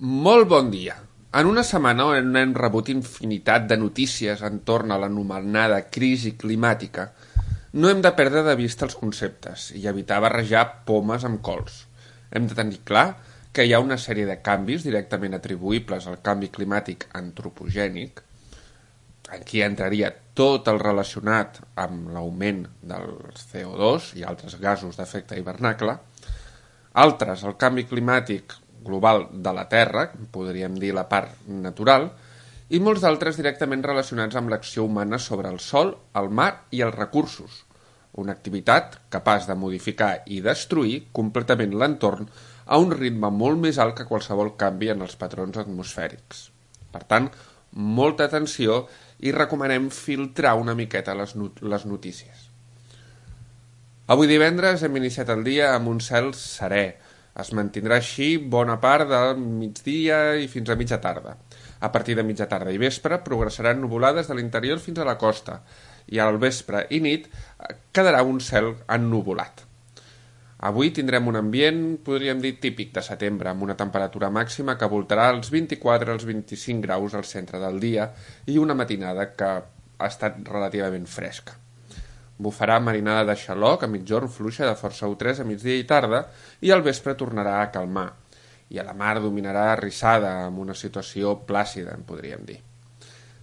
Molt bon dia. En una setmana on hem rebut infinitat de notícies entorn a l'anomenada crisi climàtica, no hem de perdre de vista els conceptes i evitar barrejar pomes amb cols. Hem de tenir clar que hi ha una sèrie de canvis directament atribuïbles al canvi climàtic antropogènic, aquí entraria tot el relacionat amb l'augment del CO2 i altres gasos d'efecte hivernacle, altres el canvi climàtic global de la Terra, podríem dir la part natural, i molts d'altres directament relacionats amb l'acció humana sobre el sòl, el mar i els recursos, una activitat capaç de modificar i destruir completament l'entorn a un ritme molt més alt que qualsevol canvi en els patrons atmosfèrics. Per tant, molta atenció i recomanem filtrar una miqueta les notícies. Avui divendres hem iniciat el dia amb un cel serè. Es mantindrà així bona part del migdia i fins a mitja tarda. A partir de mitja tarda i vespre progressaran nuvolades de l'interior fins a la costa i al vespre i nit quedarà un cel ennuvolat. Avui tindrem un ambient, podríem dir, típic de setembre, amb una temperatura màxima que voltarà als 24 als 25 graus al centre del dia i una matinada que ha estat relativament fresca. Bufarà marinada de xaloc a mitjorn fluixa de força U3 a migdia i tarda i al vespre tornarà a calmar. I a la mar dominarà rissada amb una situació plàcida, en podríem dir.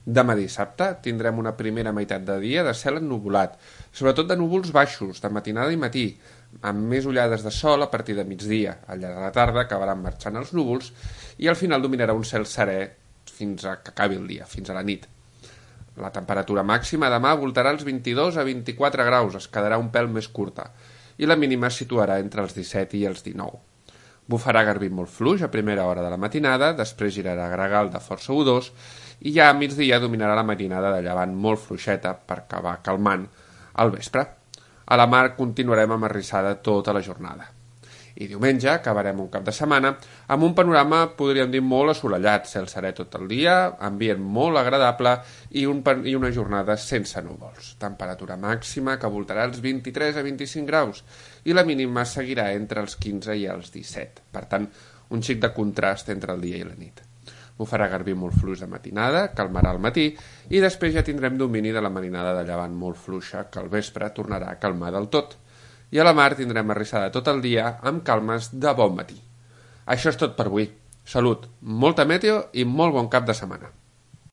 Demà dissabte tindrem una primera meitat de dia de cel ennuvolat, sobretot de núvols baixos, de matinada i matí, amb més ullades de sol a partir de migdia. Al llarg de la tarda acabaran marxant els núvols i al final dominarà un cel serè fins a que acabi el dia, fins a la nit. La temperatura màxima demà voltarà als 22 a 24 graus, es quedarà un pèl més curta, i la mínima es situarà entre els 17 i els 19. Bufarà garbí molt fluix a primera hora de la matinada, després girarà gregal de força U2 i ja a migdia dominarà la matinada de llevant molt fluixeta per acabar calmant al vespre. A la mar continuarem amb arrissada tota la jornada. I diumenge acabarem un cap de setmana amb un panorama, podríem dir, molt assolellat, cel serè tot el dia, ambient molt agradable i una jornada sense núvols. Temperatura màxima que voltarà els 23 a 25 graus i la mínima seguirà entre els 15 i els 17. Per tant, un xic de contrast entre el dia i la nit. Bufarà garbí molt fluix de matinada, calmarà al matí i després ja tindrem domini de la marinada de llevant molt fluixa que al vespre tornarà a calmar del tot. I a la mar tindrem arrissada tot el dia amb calmes de bon matí. Això és tot per avui. Salut, molta meteo i molt bon cap de setmana.